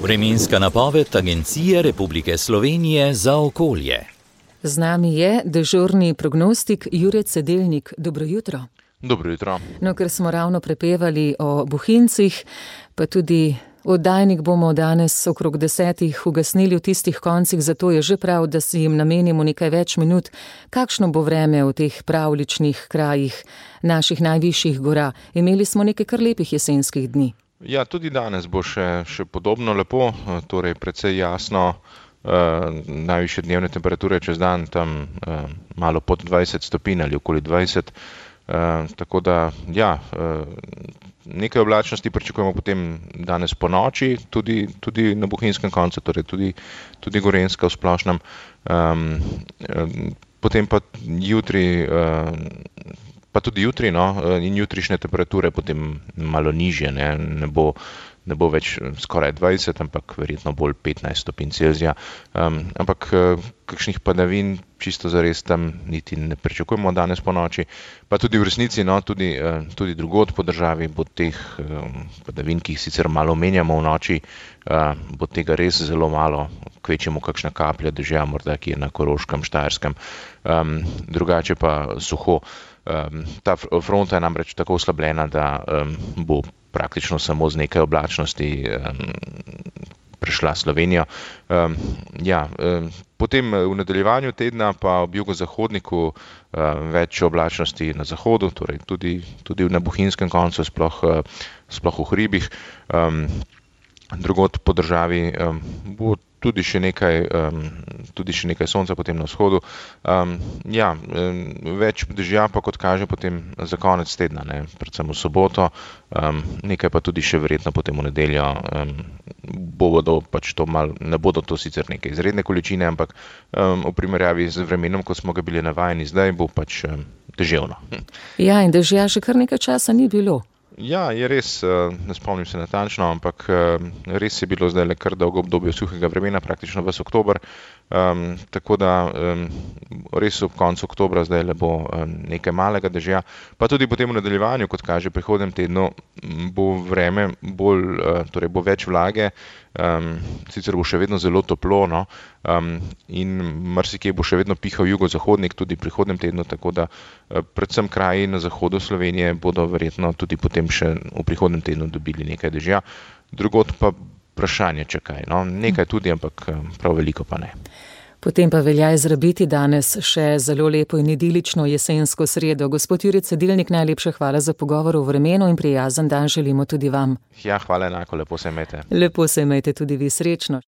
Vremenska napoved Agencije Republike Slovenije za okolje. Z nami je dežurni prognostik Jure Cedelnik. Dobro jutro. Dobro jutro. No, ker smo ravno prepevali o Bohinjcih, pa tudi oddajnik bomo danes okrog 10 ugasnili v tistih koncih, zato je že prav, da si jim namenimo nekaj več minut. Kakšno bo vreme v teh pravličnih krajih naših najvišjih gora? Imeli smo nekaj kar lepih jesenskih dni. Ja, tudi danes bo še podobno lepo, torej precej jasno, najvišje dnevne temperature čez dan tam malo pod 20 stopinj ali okoli 20, tako da ja, nekaj oblačnosti pričakujemo potem danes po noči, tudi na bohinjskem koncu, torej tudi gorenjska v splošnem, potem pa jutri, pa tudi jutri, in jutrišnje temperature potem malo nižje, ne bo več skoraj 20, ampak verjetno bolj 15 stopinj Celzija. Ampak kakšnih padavin čisto zares tam niti ne pričakujemo danes po noči. Pa tudi v resnici, tudi drugod po državi bo teh padavin, ki jih sicer malo omenjamo v noči, bo tega res zelo malo, kvečjemu kakšna kaplja dežja, morda ki je na Koroškem, Štajerskem, drugače pa suho. Ta fronta je namreč tako oslabljena, da bo praktično samo z nekaj oblačnosti prešla Slovenijo. Potem v nadaljevanju tedna pa ob jugozahodniku več oblačnosti na zahodu, torej tudi na bohinjskem koncu, sploh v hribih. Drugod po državi bo tudi še nekaj sonca potem na vzhodu. Več dežja pa, kot kaže, potem za konec tedna, predvsem v soboto, nekaj pa tudi še verjetno potem v nedeljo. Ne bodo to sicer neke izredne količine, ampak v primerjavi z vremenom, ko smo ga bili navajeni zdaj, bo pač deževno. Ja, in dežja še kar nekaj časa ni bilo. Ja, je res, ne spomnim se natančno, ampak res je bilo zdaj kar dolgo obdobje suhega vremena, praktično ves oktober, tako da res ob koncu oktobra zdaj bo nekaj malega dežja, pa tudi potem v nadaljevanju, kot kaže prihodnjem tednu, bo vreme torej bo več vlage, sicer bo še vedno zelo toplo, in marsikje bo še vedno pihal jugozahodnik tudi prihodnjem tednu, tako da predvsem kraji na zahodu Slovenije bodo verjetno tudi potem še v prihodnjem tednu dobili nekaj dežja, drugod pa vprašanje čakaj, nekaj tudi, ampak prav veliko pa ne. Potem pa velja izrabiti danes še zelo lepo in idilično jesensko sredo. Gospod Jure Cedelnik, najlepša hvala za pogovor o vremenu in prijazen dan želimo tudi vam. Ja, hvala enako, lepo se imejte. Lepo se imejte tudi vi, srečno.